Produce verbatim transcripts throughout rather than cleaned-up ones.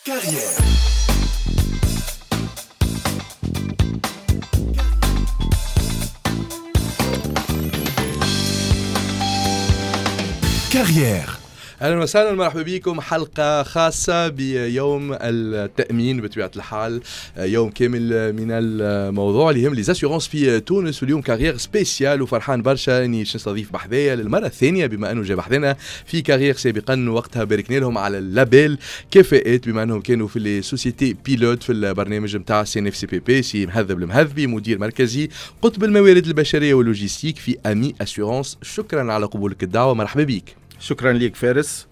Carrière. Carrière. اهلا وسهلا، مرحبا بكم. حلقة خاصة بيوم التامين بطبيعة الحال، يوم كامل من الموضوع اللي يهم les assurances في تونس. واليوم Carrière spéciale، وفرحان برشا اني باش نستضيف بحذايا للمرة الثانيه، بما انه جا بحذانا في Carrière سابقا، وقتها باركنا لهم على ال label كفاءات بما انهم كانوا في les sociétés pilotes في البرنامج نتاع سي ان اف سي بي بي. سي مهذب المهذبي، مدير مركزي قطب الموارد البشرية وال logistique في AMI Assurances، شكرا على قبولك الدعوه، مرحبا بك. شكرا لك فارس،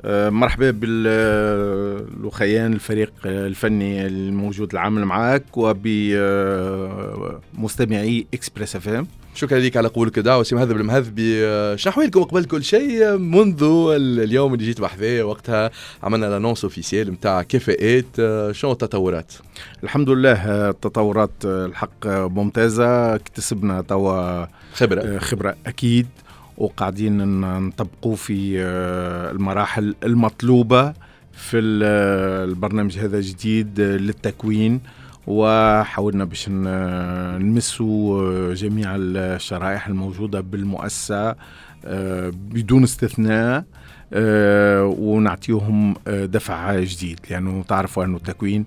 آه، مرحبا بالخيان الفريق الفني الموجود العامل معك وبمستمعي Express FM. شكرا لك على قبولك الدعوة سي مهذب المهذبي. آه، شنو احوالكم قبل كل شيء؟ منذ اليوم اللي جيت بحذايا وقتها عملنا l'annonce officielle نتاع كفاءات، آه، شنو التطورات؟ الحمد لله، التطورات الحق ممتازه، اكتسبنا توا خبره. خبره اكيد، وقاعدين نطبقوا في آه، المراحل المطلوبة في البرنامج هذا جديد للتكوين، وحاولنا باش نمسوا جميع الشرائح الموجودة بالمؤسسة آه، بدون استثناء آه، ونعطيهم دفع جديد، لأنه تعرفوا أنه التكوين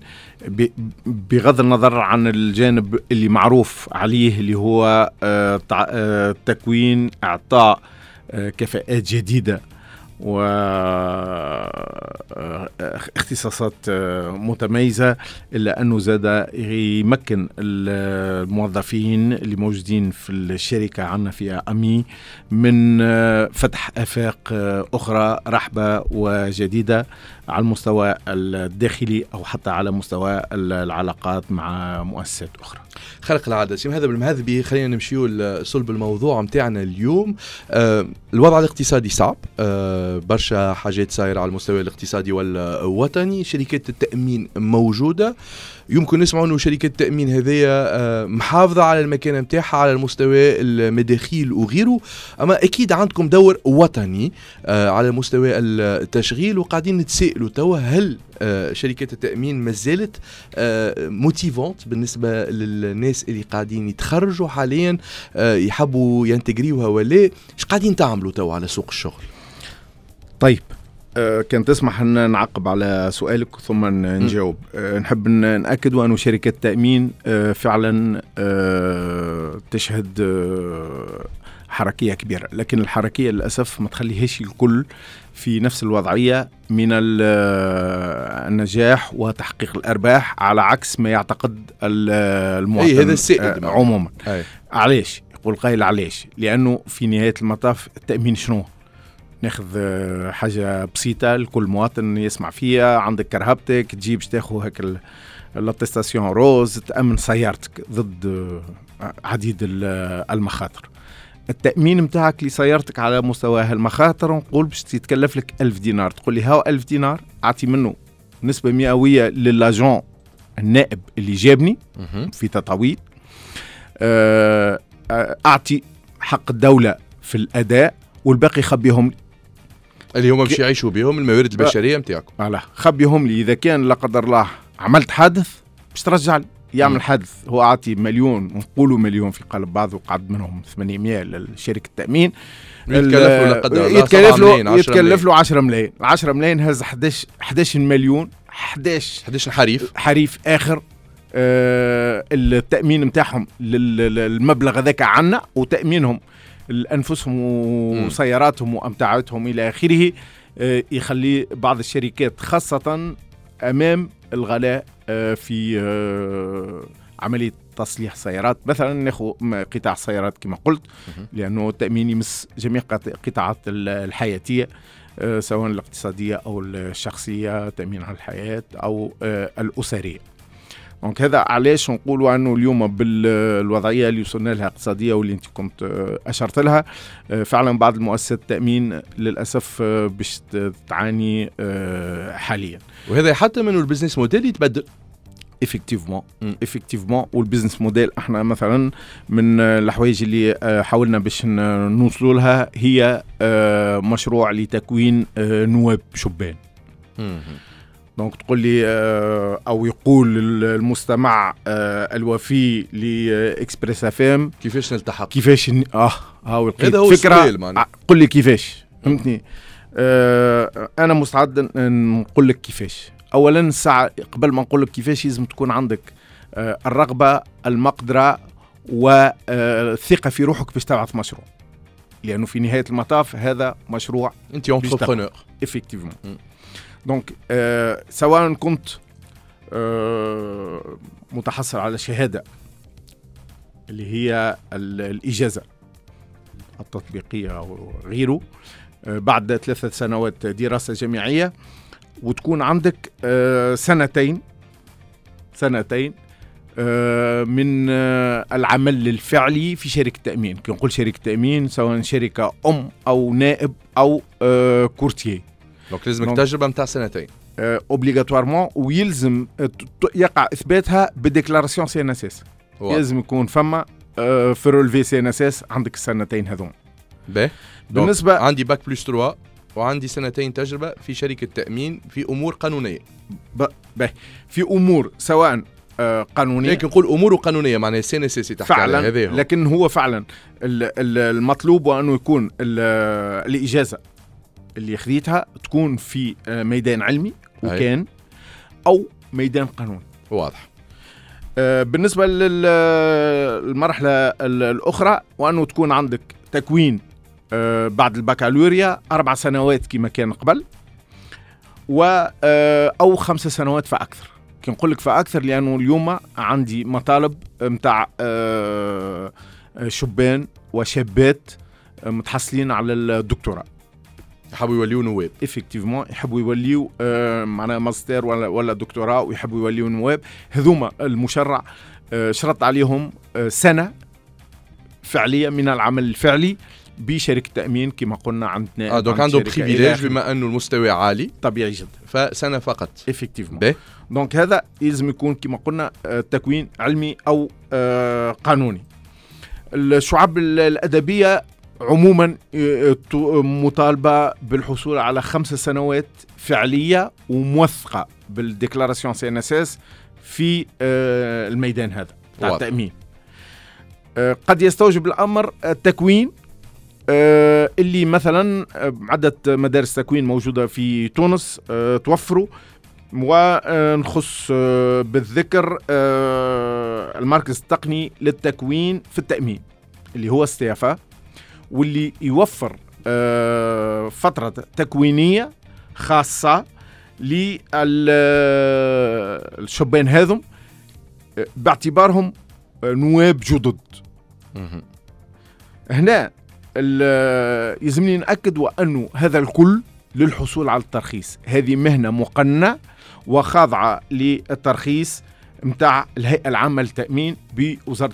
بغض النظر عن الجانب اللي معروف عليه اللي هو تكوين إعطاء كفاءات جديدة واختصاصات متميزة، إلا أنه زاد يمكن الموظفين اللي موجودين في الشركة عندنا في AMI من فتح آفاق أخرى رحبة وجديدة على المستوى الداخلي أو حتى على مستوى العلاقات مع مؤسسات أخرى. خارق العادة سي مهذب المهذبي، خلينا نمشيو لصلب الموضوع متاعنا اليوم. آه الوضع الاقتصادي صعب، آه برشا حاجات صايرة على المستوى الاقتصادي والوطني. شركات التأمين موجودة، يمكن نسمعوا انه شركة التأمين هذيا آه، محافظة على المكانة نتاعها على المستوى المداخيل وغيره، اما اكيد عندكم دور وطني آه، على مستوى التشغيل، وقاعدين نتسائلوا توا هل آه، شركات التأمين ما زالت motivante بالنسبة للناس اللي قاعدين يتخرجوا حاليا يحبوا ينتجريوها ولا ايش قاعدين تعملوا توا على سوق الشغل؟ طيب، آه، كان تسمح ان نعقب على سؤالك ثم نجاوب. أه نحب نأكد أن شركة التأمين أه فعلا أه تشهد أه حركية كبيرة، لكن الحركية للأسف ما تخليهاش الكل في نفس الوضعية من النجاح وتحقيق الأرباح، على عكس ما يعتقد المواطن. أي هذا السائد. عموما أي. علاش يقول قائل علاش؟ لأنه في نهاية المطاف التأمين شنو؟ ناخذ آه، حاجة بسيطة لكل مواطن يسمع فيها: عندك كرهبتك، تجيب باش تاخذ هاك l'attestation rose، تامن سيارتك ضد آه، عديد المخاطر. التأمين متاعك لسيارتك على مستوى المخاطر نقول باش تتكلف لك ألف دينار. تقول لي هاو ألف دينار أعطي منه نسبة مئوية ل l'agent النائب اللي جابني في تطاوين، آه، أعطي حق الدولة في الأداء، والباقي خبيهم لي. اللي هما باش يعيشوا بهم الموارد البشرية نتاعكم. voilà، خبيهم لي، اذا كان لا قدر الله عملت حادث باش ترجع لي. يعمل حادث هو عاطي مليون، نقولوا مليون في قلب بعض، وقعد منهم ثمانمية لشركة التامين. يتكلف له لا قدر الله. يتكلف له يتكلف له عشرة ملايين، عشرة ملايين هز حداش حداش مليون، حداش حداش حريف. حريف اخر. آه التامين نتاعهم للمبلغ هذاك عنا، وتامينهم لانفسهم وسياراتهم وامتعتهم الى اخره، آه، يخلي بعض الشركات خاصة امام الغلاء آه، في آه، عملية تصليح سيارات مثلا، ناخذ قطاع السيارات كما قلت، لانه التامين يمس جميع قطاعات الحياتيه، سواء الاقتصادية او الشخصيه، تامين على الحياة او الاسريه. donc هذا علاش نقولوا انه اليوم بالوضعيه اللي وصلنا لها اقتصادية واللي انت كنت آه، اشرت لها، آه، فعلا بعض المؤسسات التامين للاسف آه، باش تعاني حاليا. وهذا حتى من ال business model يتبدل. effectivement effectivement وال business model احنا مثلا من الحوايج اللي حاولنا باش نوصلوا لها هي مشروع لتكوين نواب شبان. donc تقول لي او يقول المستمع الوفي لاكسبريس اف ام كيفاش نلتحق، كيفاش ن... اه هاو لقيت فكرة، قل لي كيفاش، فهمتني؟ آه انا مستعد نقول لك كيفاش. اولا الساعة قبل ما نقول لك كيفاش لازم تكون عندك آه الرغبة، المقدرة، والثقة في روحك باش تبعث مشروع، لانه في نهاية المطاف هذا مشروع انت entrepreneur effectivement. donc آه سواء كنت آه متحصل على شهادة اللي هي الاجازة التطبيقية او غيره آه بعد ثلاثة سنوات دراسة جامعية، وتكون عندك آه سنتين سنتين آه من آه العمل الفعلي في شركة تأمين. كي نقول شركة تأمين سواء شركة أم أو نائب أو آه courtier. donc لازمك تجربة متاع سنتين obligatoirement، ويلزم يقع إثباتها ب déclaration CNSS. لازم يكون فما آه في relevé CNSS عندك السنتين هذون. باهي. بالنسبة عندي bac plus ثلاثة وعندي سنتين تجربة في شركة تأمين في أمور قانونية. باهي، في أمور سواء قانونية، لكن نقول اموره قانونية معناها CNSS تحكي على هذا، لكن هو فعلا المطلوب وانه يكون الاجازة اللي خذيتها تكون في ميدان علمي وكان او ميدان قانوني. واضح. بالنسبة للمرحلة الاخرى وانه تكون عندك تكوين بعد البكالوريا اربع سنوات كما كان قبل، و او خمس سنوات فاكثر. كي نقول لك فأكثر لأنه اليوم عندي مطالب متاع شبان وشابات متحصلين على الدكتوراه، يحبوا يوليو نواب. effectivement يحبوا يوليو معناها ماستر ولا ولا دكتوراه ويحبوا يوليو نواب. هذوما المشرع شرط عليهم سنة فعلية من العمل الفعلي بشركة تأمين كما قلنا عندنا. اه donc عنده privilège بما انه المستوى عالي طبيعي جدا، فسنة فقط effectivement. donc هذا لازم يكون كما قلنا تكوين علمي او قانوني. الشعب الأدبية عموما مطالبة بالحصول على خمس سنوات فعلية وموثقة بال déclaration CNSS في الميدان هذا تاع التأمين. قد يستوجب الأمر التكوين اللي مثلا عدة مدارس تكوين موجودة في تونس توفروا، ونخص بالذكر المركز التقني للتكوين في التأمين اللي هو استيافا، واللي يوفر فترة تكوينية خاصة للشبان هذم باعتبارهم نواب جدد. هنا يلزمني نأكد وأنه هذا الكل للحصول على الترخيص. هذه مهنة مقننة وخاضعة للترخيص متاع الهيئة العامة للتأمين بوزارة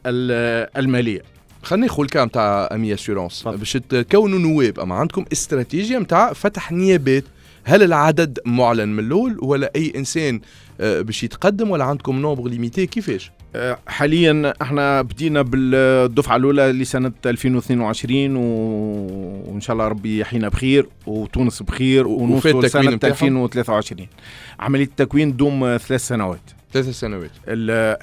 المالية. خلينا ناخذ ال cas متاع Ami Assurance باش تكونوا نواب، اما عندكم استراتيجية متاع فتح نيابات، هل العدد معلن من الاول ولا اي انسان باش يتقدم ولا عندكم nombre limité كيفاش؟ حاليا احنا بدينا بالدفعة الاولى لسنه ألفين واثنين وعشرين، وان شاء الله ربي يحيينا بخير وتونس بخير ونوصل سنة ألفين وثلاثة وعشرين. عملية التكوين تدوم ثلاث سنوات. ثلاث سنوات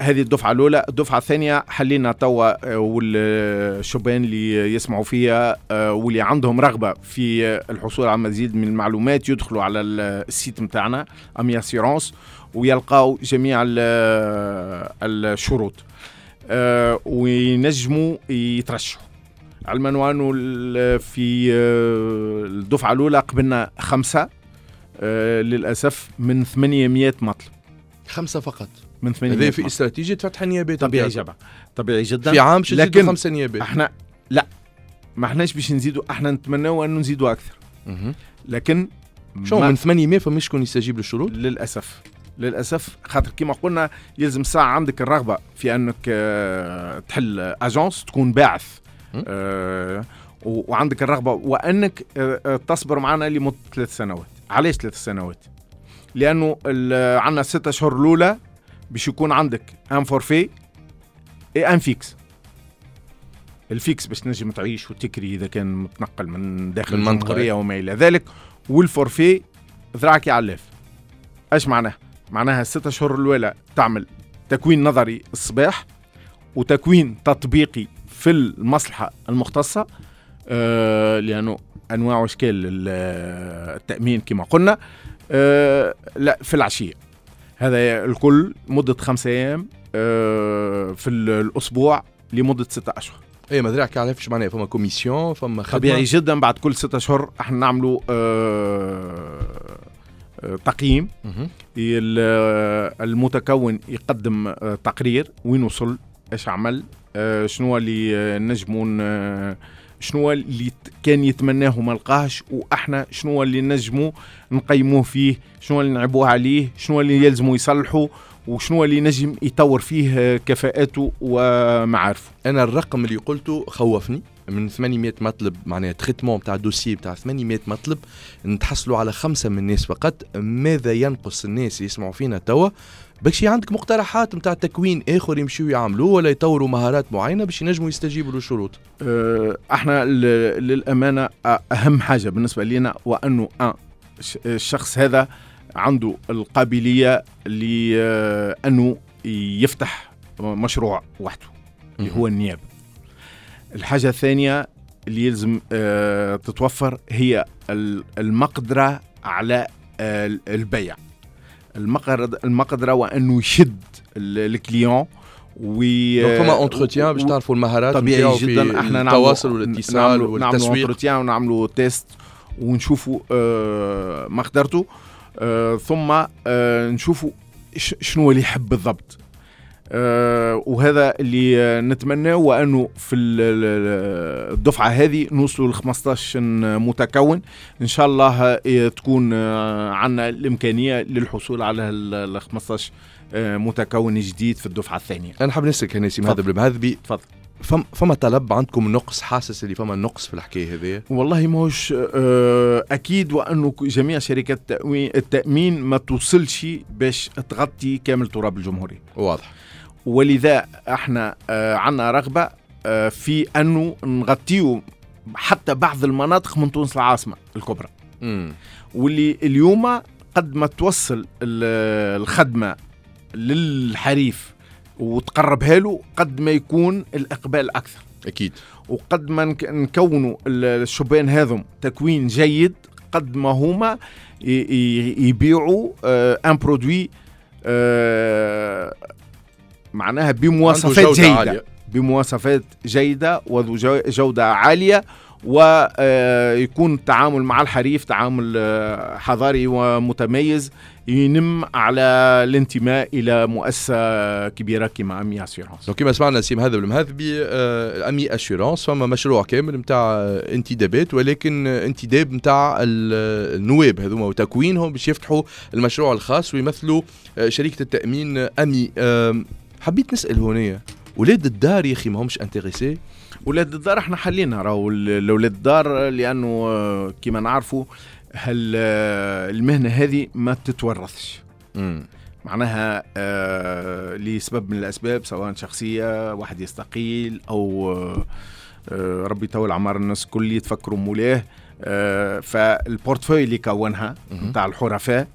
هذه الدفعة الاولى. الدفعة الثانية حلينا توا، والشبان اللي يسمعوا فيها واللي عندهم رغبة في الحصول على مزيد من المعلومات يدخلوا على ال site متاعنا Ami Assurance ويلقاو جميع الشروط وينجموا يترشحوا. علما وانه في الدفعة الاولى قبلنا خمسة للاسف من ثمانمائة مطلب. خمسة فقط من ثمانمائة. هذا في استراتيجية فتح النيابات. طبيعي جدا، طبيعي جدا. في عام لكن خمسة نيابات. احنا لا ما احناش باش نزيدوا، احنا نتمناو انه نزيدوا اكثر. لكن شو من ثمانمائة فماش شكون يستجيب للشروط؟ للاسف للاسف، خاطر كما قلنا يلزم ساعة عندك الرغبة في انك تحل agence، تكون باعث، أه وعندك الرغبة وانك تصبر معنا لمدة ثلاث سنوات. علاش ثلاث سنوات؟ لانه عندنا ستة اشهر الاولى باش يكون عندك un forfait et un fixe. ال fixe باش تنجم تعيش وتكري اذا كان متنقل من داخل المنطقة وما الى ذلك، وال forfait ذراعك يعلف. اش معناها؟ معناها الستة اشهر الاولى تعمل تكوين نظري الصباح وتكوين تطبيقي في المصلحة المختصة، آه لانه انواع واشكال التامين كما قلنا، آه لا في العشية. هذا الكل مده خمسة ايام آه في الاسبوع لمدة ستة اشهر. اي ما ذراعك عارفش معناها فما commission، فما خدمة. طبيعي جدا بعد كل ستة اشهر احنا نعملوا آه تقييم. المتكون يقدم تقرير وين وصل، ايش عمل، شنو اللي نجموا، شنو اللي كان يتمناه وما لقاهش، واحنا شنو اللي نجموا نقيموه فيه، شنو اللي نعبوه عليه، شنو اللي يلزموا يصلحوا، وشنو اللي نجم يطور فيه كفاءاته ومعارفه. انا الرقم اللي قلته خوفني، من ثمانمية مطلب معناها traitement تاع dossier تاع ثمانمية مطلب نتحصلوا على خمسة من الناس فقط. ماذا ينقص الناس اللي يسمعوا فينا توا؟ باش عندك مقترحات نتاع تكوين اخر يمشيو يعملوه ولا يطوروا مهارات معينة باش ينجموا يستجيبوا للشروط؟ أه احنا للامانة اهم حاجة بالنسبة لنا وانه أه الشخص هذا عنده القابلية لانه يفتح مشروع وحده اللي هو النيابة. الحاجة الثانية اللي يلزم أه تتوفر هي المقدرة على البيع، المقدرة وأنه يشد ال client و فما entretien باش تعرفوا المهارات. طبيعي جدا احنا التواصل والاتصال والتسويق، نعملوا entretien ونعملوا test ونشوفوا أه مقدرته، أه ثم أه نشوفوا شنو اللي يحب بالضبط. أه وهذا اللي نتمناه، وأنه في الدفعة هذه نوصلوا ل خمسطاش متكون إن شاء الله، تكون عندنا الإمكانية للحصول على ال خمسطاش متكون جديد في الدفعة الثانية. أنا حاب نسألك نسيم هذا بالمهذبي، تفضل. فم فما طلب عندكم نقص، حاسس اللي فما نقص في الحكاية هذه؟ والله ماهوش اكيد، وانه جميع شركات التامين ما توصلش باش تغطي كامل تراب الجمهورية. واضح. ولذا احنا عندنا رغبة في انه نغطيو حتى بعض المناطق من تونس العاصمة الكبرى. مم. واللي اليوم قد ما توصل الخدمة للحريف وتقربها له قد ما يكون الإقبال أكثر. أكيد. وقد ما نكونوا الشبان هذم تكوين جيد قد ما هما يبيعوا un produit معناها بمواصفات جيدة عالية. بمواصفات جيدة وذو جودة عالية، ويكون التعامل مع الحريف تعامل حضاري ومتميز ينم على الانتماء إلى مؤسسة كبيرة كما أمي أسيرانس. كما سمعنا سيم هذا بالمهذبي، أمي أسيرانس فما مشروع كامل متاع انتدابات، ولكن انتداب متاع النواب هذوما وتكوينهم باش يفتحوا المشروع الخاص ويمثلوا شركة التأمين أمي. حبيت نسأل هنا، ولاد الدار يا أخي ما همش intéressés؟ ولاد الدار احنا حلينا راهو الاولاد الدار، لانه كما نعرفوا هل المهنة هذه ما تتورثش. مم. معناها آه لسبب من الاسباب، سواء شخصية واحد يستقيل او آه ربي يطول عمر الناس كل يتفكروا مولاه، آه فال portefeuille اللي كونها نتاع الحرفاء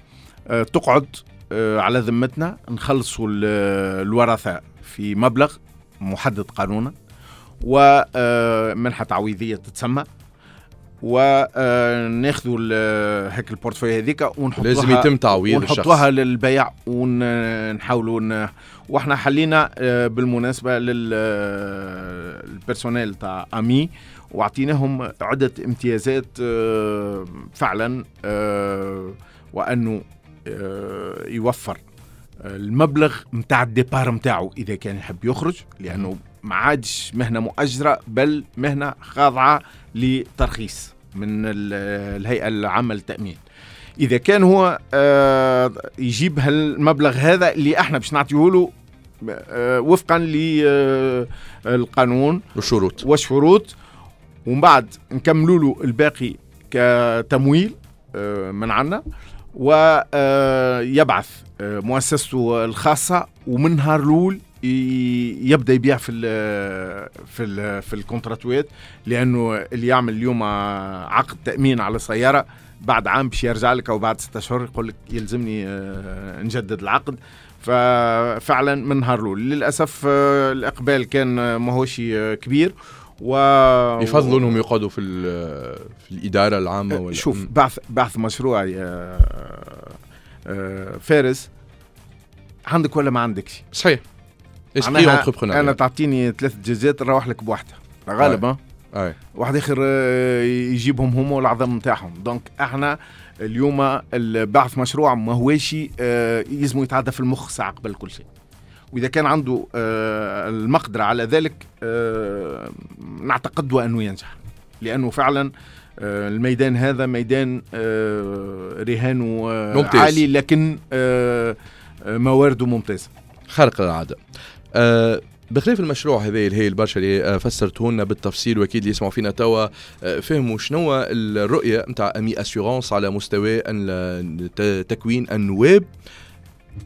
آه تقعد آه على ذمتنا، نخلصوا الورثة في مبلغ محدد قانونا ومنحة تعويضية تتسمى، وناخذوا هيك ال portefeuille هذيك ونحطوها، لازم يتم تعويض الشخص، ونحطوها للبيع ونحاولوا ن... واحنا حلينا بالمناسبة لل personnel تاع أمي واعطيناهم عدة امتيازات فعلا، وأنه يوفر المبلغ متاع ال départ متاعه إذا كان يحب يخرج، لأنه ما عادش مهنة مؤجرة بل مهنة خاضعة لترخيص من الهيئة العامة للتأمين. إذا كان هو يجيب هالمبلغ هذا اللي احنا باش نعطيه له وفقا للقانون والشروط والشروط، ومن بعد نكملوا له الباقي كتمويل من عنا، ويبعث مؤسسته الخاصة، ومن نهار الأول يبدا يبيع في ال في ال في الكونتراتوات، لانه اللي يعمل اليوم عقد تامين على سيارة بعد عام باش يرجع لك او بعد ستة اشهر يقول لك يلزمني نجدد العقد. ففعلا من نهار الاول للاسف الاقبال كان ماهوش كبير، و يفضلوا انهم يقعدوا في في الادارة العامة ولا. شوف، بعث بعث مشروع يا فارس، عندك ولا ما عندكش؟ صحيح. انا تعطيني ثلاث دجاجات نروح لك بواحدة غالبا، واحد اخر يجيبهم هما والعظم نتاعهم. donc احنا اليوم البعث مشروع ما هوش يلزم يتعدى في المخ ساعة قبل كل شيء، واذا كان عنده المقدرة على ذلك نعتقد انه ينجح، لانه فعلا الميدان هذا ميدان رهانه عالي، لكن موارده ممتازة خارق للعادة. أه بخلاف المشروع هذا الهايل برشا اللي فسرته لنا بالتفصيل، واكيد اللي يسمعوا فينا توا فهموا شنو الرؤية نتاع AMI Assurances على مستوى تكوين النواب.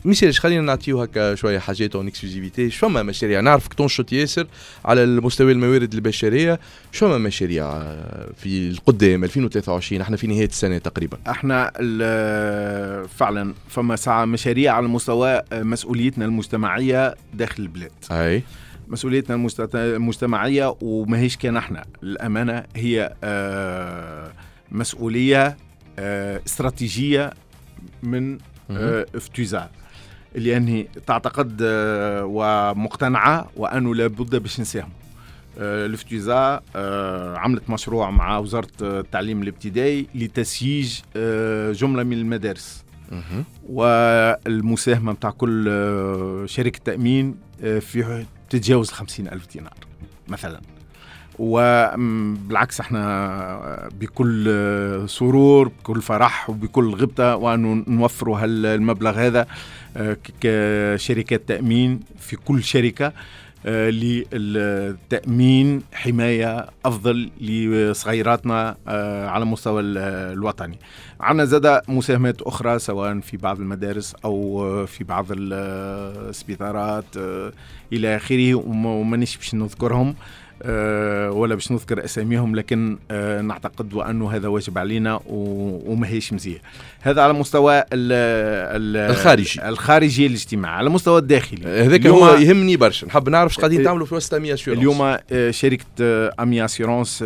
ميسالش خلينا نعطيو هكا شوية حاجات en exclusivité. شو فما مشاريع؟ نعرفك تنشط ياسر على المستوى الموارد البشرية، شو فما مشاريع في القدام ألفين وثلاثة وعشرين؟ احنا في نهاية السنة تقريبا. احنا فعلا فما ساعة مشاريع على مستوى مسؤوليتنا المجتمعية داخل البلاد. اي مسؤوليتنا المجتمعية، وماهيش كان احنا، الامانة هي مسؤولية استراتيجية من افتوزا، لأنه تعتقد ومقتنعة وأنه لابد باش نساهم. الافتوزا عملت مشروع مع وزارة التعليم الابتدائي لتسييج جملة من المدارس، والمساهمة متاع كل شركة تأمين في تتجاوز خمسين ألف دينار مثلا. وبالعكس احنا بكل سرور بكل فرح وبكل غبطة وأنه نوفروا هالمبلغ هذا كشركات تأمين في كل شركة للتأمين حماية أفضل لصغيراتنا على مستوى الوطني. عندنا زادة مساهمات أخرى سواء في بعض المدارس أو في بعض السبيطارات إلى آخره، ومانيش باش نذكرهم ولا باش نذكر أساميهم، لكن نعتقد وأنه هذا واجب علينا وما هيش مزية. هذا على مستوى ال ال الخارجي الخارجي الاجتماعي. على المستوى الداخلي هذاك هو يهمني برشا، نحب نعرف اش قاعدين تعملوا في وسط AMI Assurances. اليوم شركة AMI Assurances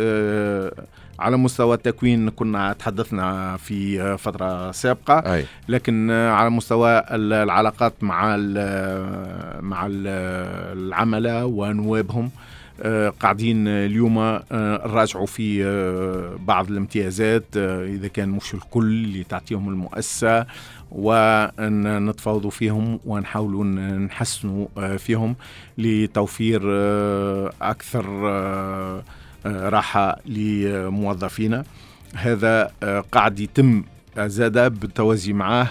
على مستوى التكوين كنا تحدثنا في فترة سابقة، أي. لكن على مستوى العلاقات مع ال مع ال العملاء ونوابهم قاعدين اليوم نراجعوا في بعض الامتيازات إذا كان مش الكل اللي تعطيهم المؤسسة، ونتفاوضوا فيهم ونحاولوا نحسنوا فيهم لتوفير أكثر راحة لموظفينا. هذا قاعد يتم زادة بالتوازي معاه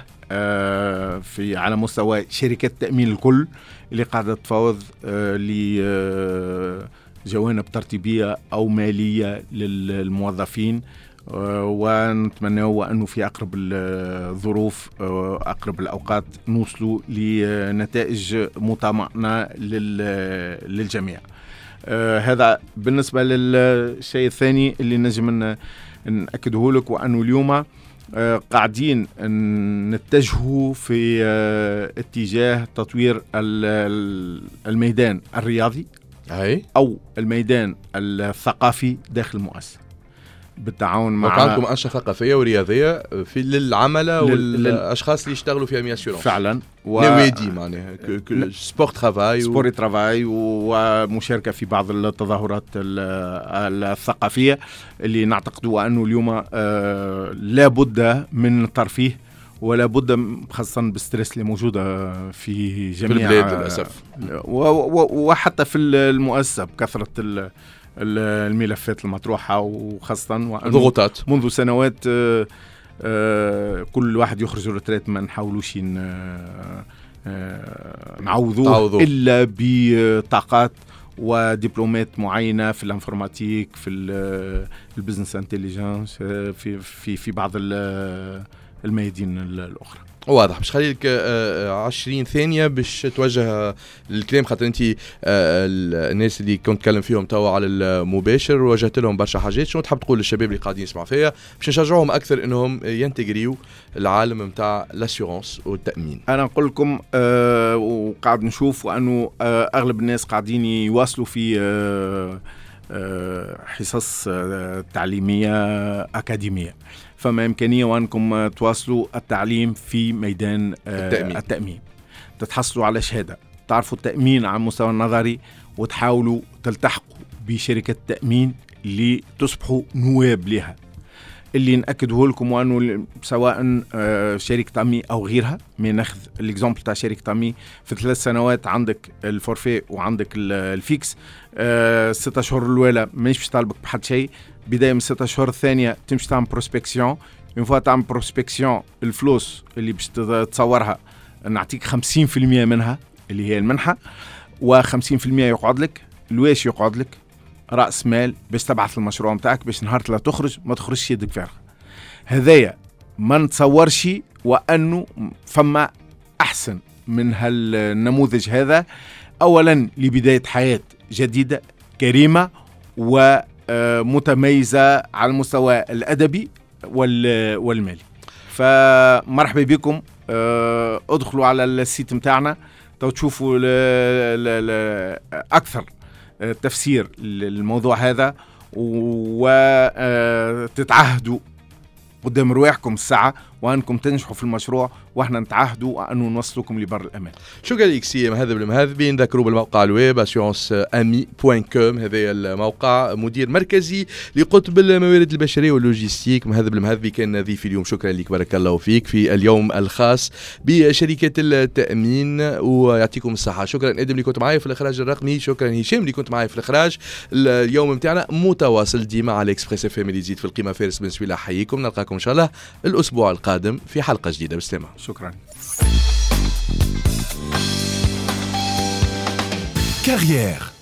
في على مستوى شركات التأمين الكل اللي قاعدة تفاوض لجوانب ترتيبية أو مالية للموظفين، ونتمنى أنه في أقرب الظروف أقرب الأوقات نوصلوا لنتائج مطمئنة للجميع. هذا بالنسبة للشيء الثاني اللي نجم نأكده لك، وأنه اليوم قاعدين نتجهوا في اتجاه تطوير الميدان الرياضي أو الميدان الثقافي داخل المؤسسة بالتعاون مع عندكم أنشطة ثقافية ورياضية في للعملاء والأشخاص اللي يشتغلوا في AMI Assurances فعلا و... نوادي معناها sport travail sport travail ومشاركة في بعض التظاهرات الثقافية اللي نعتقد أنه اليوم لابد من الترفيه ولا بد خاصة بال stress اللي موجودة في جميع في البلاد للأسف وحتى في المؤسسة بكثرة الملفات المطروحة، وخاصة ضغوطات منذ سنوات كل واحد يخرج retraite ما نحاولوش نعوضوه إلا بطاقات ودبلومات معينة في ال informatique، في ال business intelligence، في في في بعض الميادين الأخرى. واضح. باش خليك عشرين ثانية باش توجه الكلام، خاطر انت الناس اللي كنت تكلم فيهم توا على المباشر وجهت لهم برشا حاجات، شنو تحب تقول للشباب اللي قاعدين يسمعوا فيا باش نشجعوهم اكثر انهم ينتجريو العالم نتاع l'assurance والتامين؟ انا نقول لكم آه وقاعد نشوف وانه آه اغلب الناس قاعدين يواصلوا في آه آه حصص آه تعليمية اكاديمية، فما إمكانية وأنكم تواصلوا التعليم في ميدان التأمين. التأمين تتحصلوا على شهادة، تعرفوا التأمين على المستوى النظري، وتحاولوا تلتحقوا بشركة التأمين لتصبحوا نواب لها. اللي نأكده لكم وأنه سواء شركة أمي أو غيرها، من ناخذ ال exemple تاع شركة أمي، في ثلاث سنوات عندك ال forfait وعندك ال fixe، ستة أشهر الأولى مانيش باش طالبك بحد شيء، بداية من ستة أشهر الثانية تمشي تعمل prospection، une fois تعمل prospection الفلوس اللي باش تصورها نعطيك خمسين في المية منها اللي هي المنحة، وخمسين في المية يقعد لك. الواش يقعد لك؟ رأس مال باش تبعث المشروع متاعك، باش نهار لا تخرج ما تخرجش يدك فارغة. هذايا ما نتصورش وأنه فما أحسن من هالنموذج هذا، أولا لبداية حياة جديدة كريمة ومتميزة على المستوى الأدبي والمالي. فمرحبا بكم، ادخلوا على ال site متاعنا تو تشوفوا أكثر تفسير للموضوع هذا، وتتعهدوا قدام رواحكم الساعة وأنكم تنجحوا في المشروع، وإحنا نتعهدوا أنه نوصلكم لبر الأمان. شكرا لك سي مهذب المهذبي. نذكروا بالموقع الويب assurance ami point com، هذا الموقع، مدير مركزي لقطب الموارد البشرية واللوجيستيك. مهذب المهذبي كان ضيفي اليوم، شكرا لك، بارك الله فيك، في اليوم الخاص بشركة التأمين، ويعطيكم الصحة. شكرا آدم اللي كنت معايا في الإخراج الرقمي، شكرا هشام اللي كنت معايا في الإخراج. اليوم متاعنا متواصل ديما على Express FM اللي يزيد في القيمة. فارس بن سويلة حييكم، نلقاكم إن شاء الله الأسبوع القادم في حلقة جديدة. بالسلامة. شكرا. Carrière.